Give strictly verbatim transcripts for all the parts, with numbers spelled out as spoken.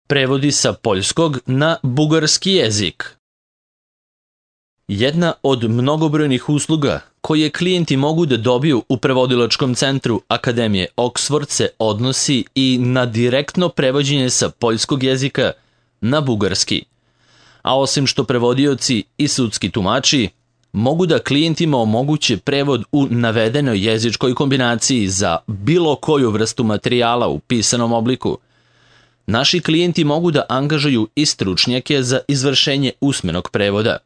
Prevodi sa poljskog na bugarski jezik. Jedna od mnogobrojnih usluga koje klijenti mogu da dobiju u prevodilačkom centru Akademije Oxford se odnosi i na direktno prevođenje sa poljskog jezika na bugarski. A osim što prevodioci i sudski tumači mogu da klijentima omoguće prevod u navedenoj jezičkoj kombinaciji za bilo koju vrstu materijala u pisanom obliku, naši klijenti mogu da angažuju i stručnjake za izvršenje usmenog prevoda.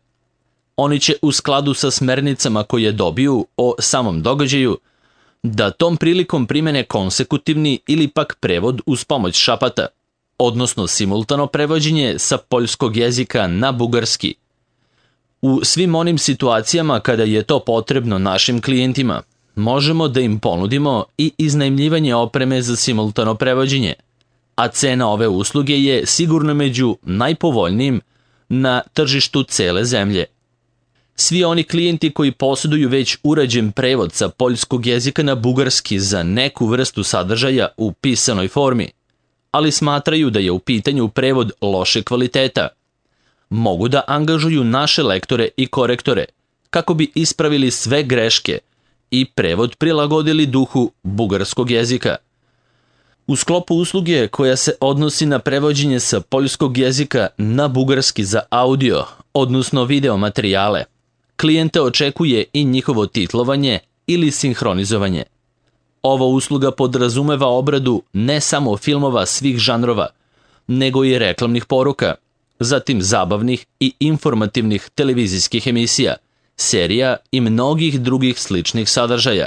Oni će u skladu sa smernicama koje dobiju o samom događaju da tom prilikom primene konsekutivni ili pak prevod uz pomoć šapata, odnosno simultano prevođenje sa poljskog jezika na bugarski. U svim onim situacijama kada je to potrebno našim klijentima, možemo da im ponudimo i iznajmljivanje opreme za simultano prevođenje, a cena ove usluge je sigurno među najpovoljnijim na tržištu cele zemlje. Svi oni klijenti koji posjeduju već urađen prevod sa poljskog jezika na bugarski za neku vrstu sadržaja u pisanoj formi, ali smatraju da je u pitanju prevod loše kvaliteta, mogu da angažuju naše lektore i korektore kako bi ispravili sve greške i prevod prilagodili duhu bugarskog jezika. U sklopu usluge koja se odnosi na prevođenje sa poljskog jezika na bugarski za audio, odnosno video materijale, klijente očekuje i njihovo titlovanje ili sinhronizovanje. Ova usluga podrazumeva obradu ne samo filmova svih žanrova, nego i reklamnih poruka, zatim zabavnih i informativnih televizijskih emisija, serija i mnogih drugih sličnih sadržaja.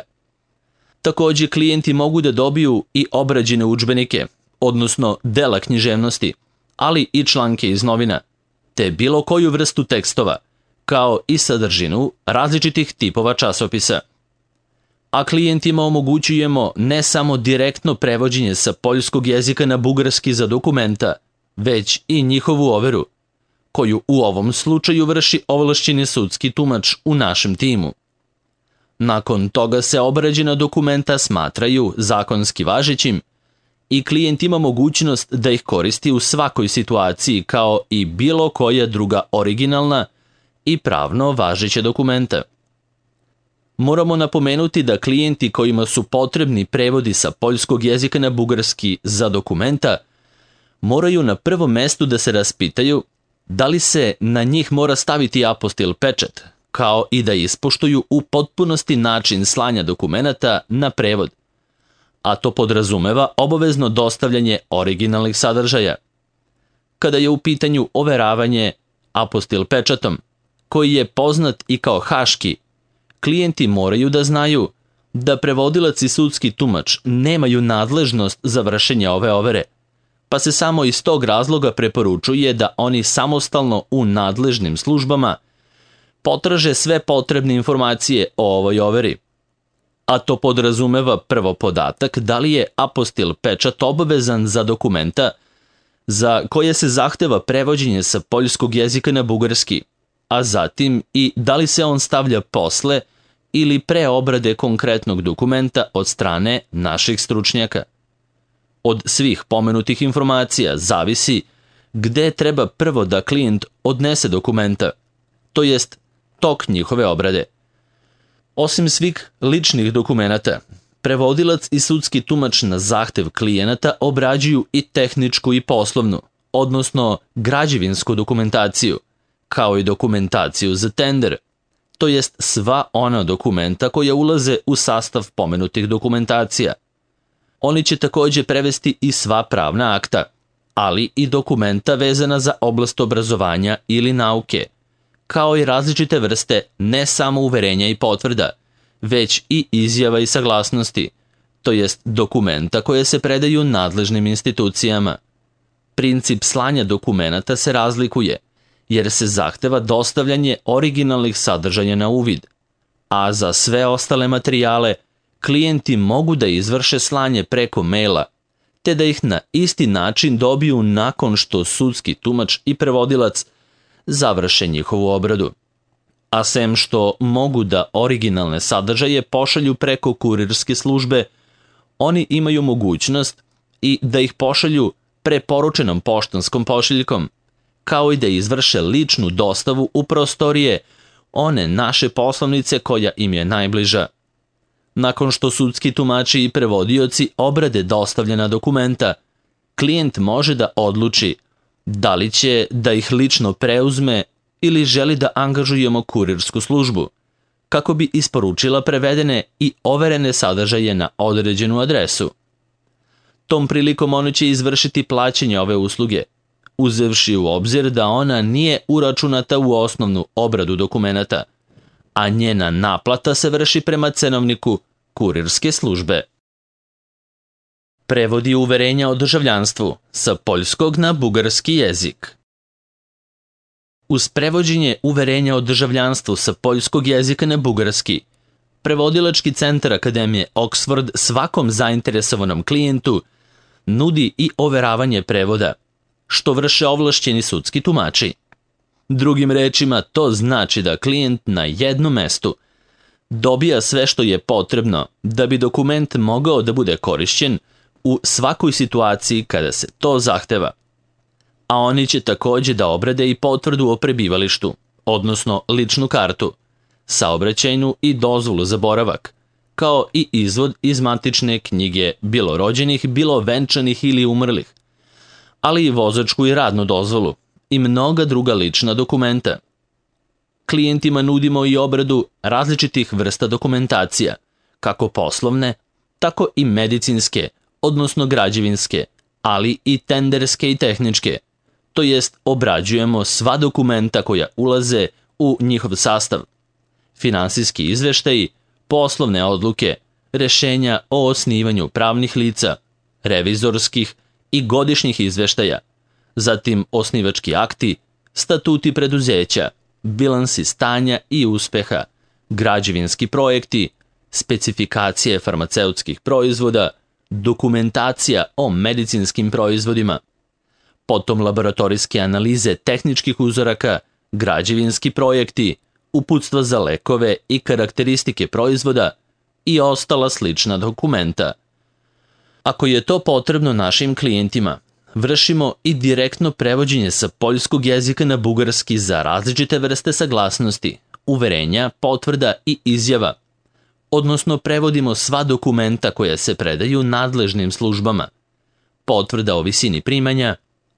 Također klijenti mogu da dobiju i obrađene udžbenike, odnosno dela književnosti, ali i članke iz novina, te bilo koju vrstu tekstova, kao i sadržinu različitih tipova časopisa. A klijentima omogućujemo ne samo direktno prevođenje sa poljskog jezika na bugarski za dokumenta, već i njihovu overu, koju u ovom slučaju vrši ovlašćeni sudski tumač u našem timu. Nakon toga se obrađena dokumenta smatraju zakonski važećim i klijent ima mogućnost da ih koristi u svakoj situaciji kao i bilo koja druga originalna i pravno važeća dokumenta. Moramo napomenuti da klijenti kojima su potrebni prevodi sa poljskog jezika na bugarski za dokumenta moraju na prvom mestu da se raspitaju da li se na njih mora staviti apostil pečat, kao i da ispoštuju u potpunosti način slanja dokumenata na prevod, a to podrazumeva obavezno dostavljanje originalnih sadržaja. Kada je u pitanju overavanje apostil pečatom, koji je poznat i kao haški, klijenti moraju da znaju da prevodilac i sudski tumač nemaju nadležnost za vršenje ove overe, pa se samo iz tog razloga preporučuje da oni samostalno u nadležnim službama potraže sve potrebne informacije o ovoj overi. A to podrazumeva prvo podatak da li je apostil pečat obavezan za dokumenta za koje se zahteva prevođenje sa poljskog jezika na bugarski, a zatim i da li se on stavlja posle ili pre obrade konkretnog dokumenta od strane naših stručnjaka. Od svih pomenutih informacija zavisi gde treba prvo da klijent odnese dokumenta, to jest tok njihove obrade. Osim svih ličnih dokumenata, prevodilac i sudski tumač na zahtev klijenata obrađuju i tehničku i poslovnu, odnosno građevinsku dokumentaciju, kao i dokumentaciju za tender, to jest sva ona dokumenta koja ulaze u sastav pomenutih dokumentacija. Oni će također prevesti i sva pravna akta, ali i dokumenta vezana za oblast obrazovanja ili nauke, kao i različite vrste ne samo uverenja i potvrda, već i izjava i saglasnosti, to jest dokumenta koje se predaju nadležnim institucijama. Princip slanja dokumenata se razlikuje, jer se zahteva dostavljanje originalnih sadržaja na uvid, a za sve ostale materijale klijenti mogu da izvrše slanje preko maila, te da ih na isti način dobiju nakon što sudski tumač i prevodilac završe njihovu obradu. A sem što mogu da originalne sadržaje pošalju preko kurirske službe, oni imaju mogućnost i da ih pošalju preporučenom poštanskom pošiljkom, kao i da izvrše ličnu dostavu u prostorije one naše poslovnice koja im je najbliža. Nakon što sudski tumači i prevodioci obrade dostavljena dokumenta, klijent može da odluči da li će da ih lično preuzme ili želi da angažujemo kurirsku službu, kako bi isporučila prevedene i overene sadržaje na određenu adresu. Tom prilikom ona će izvršiti plaćanje ove usluge, uzevši u obzir da ona nije uračunata u osnovnu obradu dokumenata, a njena naplata se vrši prema cenovniku kurirske službe. Prevodi uverenja o državljanstvu sa poljskog na bugarski jezik. Uz prevođenje uverenja o državljanstvu sa poljskog jezika na bugarski, prevodilački centar Akademije Oxford svakom zainteresovanom klijentu nudi i overavanje prevoda, što vrše ovlašćeni sudski tumači. Drugim rečima, to znači da klijent na jednom mestu dobija sve što je potrebno da bi dokument mogao da bude korišćen u svakoj situaciji kada se to zahteva. A oni će takođe da obrade i potvrdu o prebivalištu, odnosno ličnu kartu, saobraćajnu i dozvolu za boravak, kao i izvod iz matične knjige bilo rođenih, bilo venčanih ili umrlih, ali i vozačku i radnu dozvolu i mnoga druga lična dokumenta. Klijentima nudimo i obradu različitih vrsta dokumentacija, kako poslovne, tako i medicinske, odnosno građevinske, ali i tenderske i tehničke, to jest obrađujemo sva dokumenta koja ulaze u njihov sastav, finansijski izveštaji, poslovne odluke, rešenja o osnivanju pravnih lica, revizorskih i godišnjih izveštaja, zatim osnivački akti, statuti preduzeća, bilansi stanja i uspeha, građevinski projekti, specifikacije farmaceutskih proizvoda, dokumentacija o medicinskim proizvodima, potom laboratorijske analize tehničkih uzoraka, građevinski projekti, uputstva za lekove i karakteristike proizvoda i ostala slična dokumenta. Ako je to potrebno našim klijentima, vršimo i direktno prevođenje sa poljskog jezika na bugarski za različite vrste saglasnosti, uverenja, potvrda i izjava, odnosno prevodimo sva dokumenta koja se predaju nadležnim službama, potvrda o visini primanja,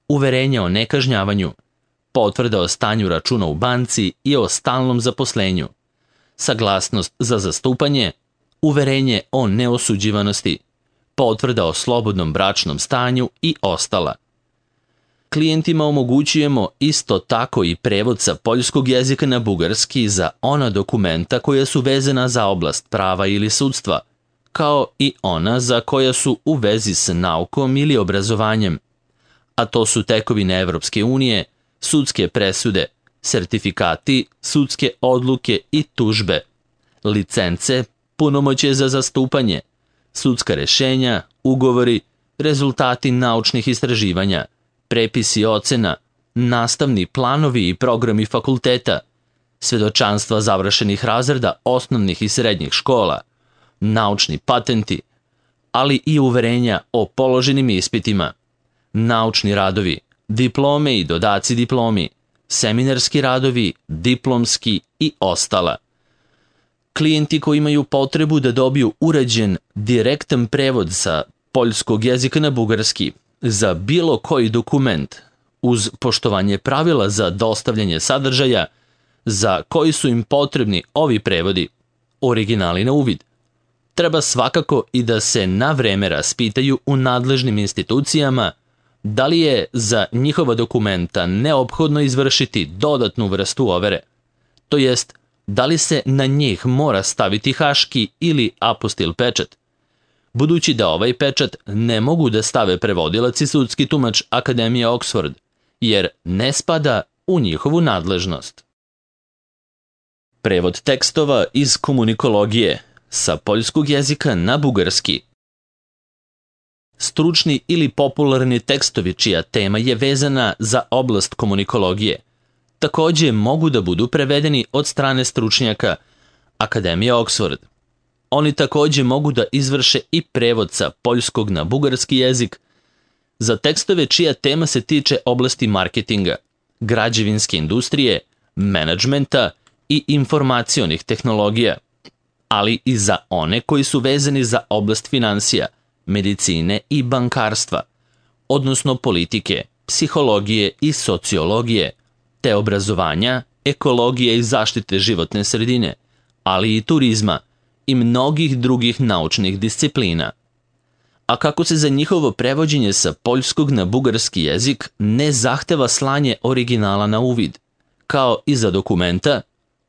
uverenja o nekažnjavanju, potvrda o stanju računa u banci i o stalnom zaposlenju, saglasnost za zastupanje, uverenje o neosuđivanosti, potvrda o slobodnom bračnom stanju i ostala. Klijentima omogućujemo isto tako i prevod sa poljskog jezika na bugarski za ona dokumenta koja su vezana za oblast prava ili sudstva, kao i ona za koja su u vezi s naukom ili obrazovanjem, a to su tekovine Evropske unije, sudske presude, sertifikati, sudske odluke i tužbe, licence, punomoćje za zastupanje, sudska rešenja, ugovori, rezultati naučnih istraživanja, prepisi ocena, nastavni planovi i programi fakulteta, svedočanstva završenih razreda osnovnih i srednjih škola, naučni patenti, ali i uverenja o položenim ispitima, naučni radovi, diplome i dodaci diplomi, seminarski radovi, diplomski i ostala. Klijenti koji imaju potrebu da dobiju uređen direktan prevod sa poljskog jezika na bugarski za bilo koji dokument uz poštovanje pravila za dostavljanje sadržaja za koji su im potrebni ovi prevodi, originali na uvid, treba svakako i da se na vreme raspitaju u nadležnim institucijama da li je za njihova dokumenta neophodno izvršiti dodatnu vrstu overe, to jest da li se na njih mora staviti haški ili apostil pečat, budući da ovaj pečat ne mogu da stave prevodilac i sudski tumač Akademije Oxford, jer ne spada u njihovu nadležnost. Prevod tekstova iz komunikologije sa poljskog jezika na bugarski. Stručni ili popularni tekstovi čija tema je vezana za oblast komunikologije takođe mogu da budu prevedeni od strane stručnjaka Akademije Oxford. Oni takođe mogu da izvrše i prevod sa poljskog na bugarski jezik za tekstove čija tema se tiče oblasti marketinga, građevinske industrije, menadžmenta i informacionih tehnologija, ali i za one koji su vezani za oblast finansija, medicine i bankarstva, odnosno politike, psihologije i sociologije, te obrazovanja, ekologije i zaštite životne sredine, ali i turizma i mnogih drugih naučnih disciplina. A kako se za njihovo prevođenje sa poljskog na bugarski jezik ne zahteva slanje originala na uvid, kao i za dokumenta,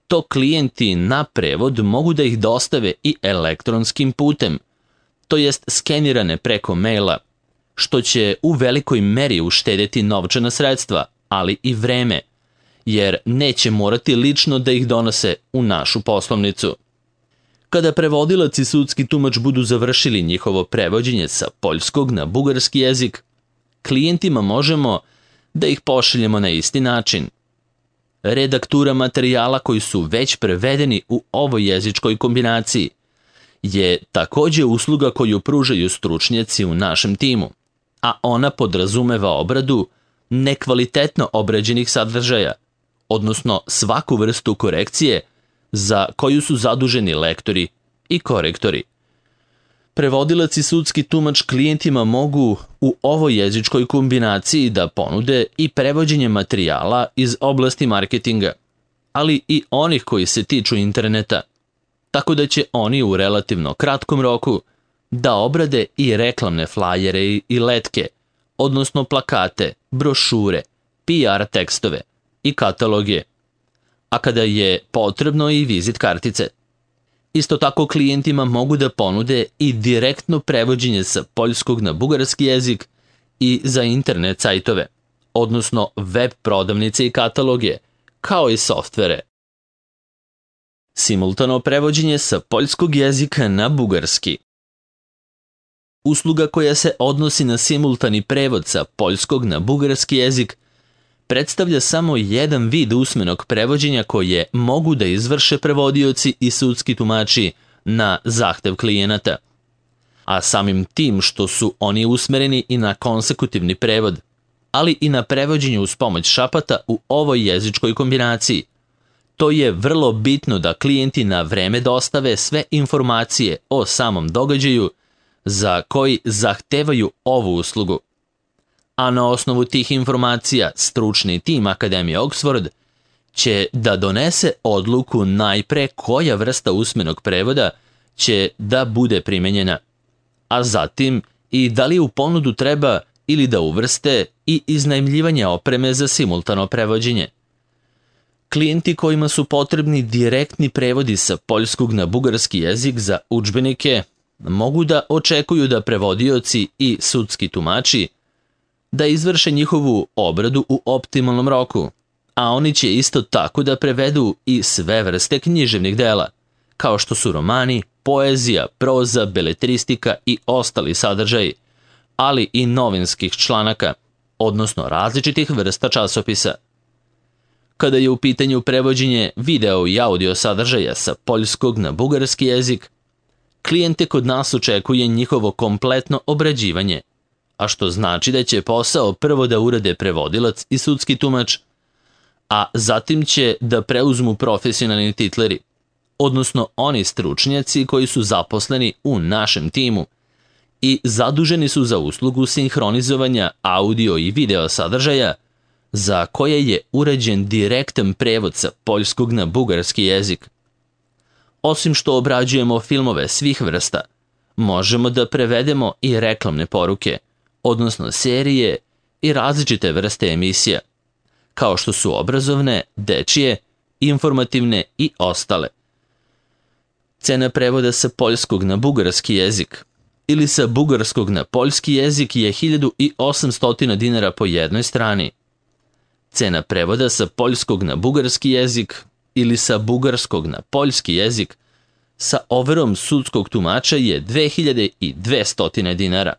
to klijenti na prevod mogu da ih dostave i elektronskim putem, to jest skenirane preko maila, što će u velikoj meri uštedeti novčana sredstva, ali i vreme, jer neće morati lično da ih donose u našu poslovnicu. Kada prevodilac i sudski tumač budu završili njihovo prevođenje sa poljskog na bugarski jezik, klijentima možemo da ih pošaljemo na isti način. Redaktura materijala koji su već prevedeni u ovoj jezičkoj kombinaciji je takođe usluga koju pružaju stručnjaci u našem timu, a ona podrazumeva obradu nekvalitetno obrađenih sadržaja, odnosno svaku vrstu korekcije za koju su zaduženi lektori i korektori. Prevodilac i sudski tumač klijentima mogu u ovoj jezičkoj kombinaciji da ponude i prevođenje materijala iz oblasti marketinga, ali i onih koji se tiču interneta, tako da će oni u relativno kratkom roku da obrade i reklamne flajere i letke, odnosno plakate, brošure, P R tekstove i kataloge, a kada je potrebno i vizit kartice. Isto tako klijentima mogu da ponude i direktno prevođenje sa poljskog na bugarski jezik i za internet sajtove, odnosno web prodavnice i kataloge, kao i softvere. Simultano prevođenje sa poljskog jezika na bugarski. Usluga koja se odnosi na simultani prevod sa poljskog na bugarski jezik predstavlja samo jedan vid usmenog prevođenja koje mogu da izvrše prevodioci i sudski tumači na zahtev klijenata, a samim tim što su oni usmereni i na konsekutivni prevod, ali i na prevođenje uz pomoć šapata u ovoj jezičkoj kombinaciji. To je vrlo bitno da klijenti na vreme dostave sve informacije o samom događaju za koji zahtevaju ovu uslugu. A na osnovu tih informacija stručni tim Akademije Oxford će da donese odluku najpre koja vrsta usmenog prevoda će da bude primenjena, a zatim i da li u ponudu treba ili da uvrste i iznajmljivanje opreme za simultano prevođenje. Klijenti kojima su potrebni direktni prevodi sa poljskog na bugarski jezik za udžbenike mogu da očekuju da prevodioci i sudski tumači da izvrše njihovu obradu u optimalnom roku, a oni će isto tako da prevedu i sve vrste književnih dela, kao što su romani, poezija, proza, beletristika i ostali sadržaji, ali i novinskih članaka, odnosno različitih vrsta časopisa. Kada je u pitanju prevođenje video i audio sadržaja sa poljskog na bugarski jezik, klijente kod nas očekuje njihovo kompletno obrađivanje, a što znači da će posao prvo da urade prevodilac i sudski tumač, a zatim će da preuzmu profesionalni titleri, odnosno oni stručnjaci koji su zaposleni u našem timu i zaduženi su za uslugu sinhronizovanja audio i video sadržaja za koje je urađen direktan prevod sa poljskog na bugarski jezik. Osim što obrađujemo filmove svih vrsta, možemo da prevedemo i reklamne poruke, odnosno serije i različite vrste emisija, kao što su obrazovne, dečije, informativne i ostale. Cena prevoda sa poljskog na bugarski jezik ili sa bugarskog na poljski jezik je hiljadu osamsto dinara po jednoj strani. Cena prevoda sa poljskog na bugarski jezik ili sa bugarskog na poljski jezik sa overom sudskog tumača je dve hiljade dvesta dinara.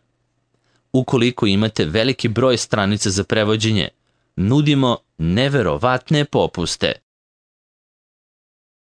Ukoliko imate veliki broj stranica za prevođenje, nudimo neverovatne popuste.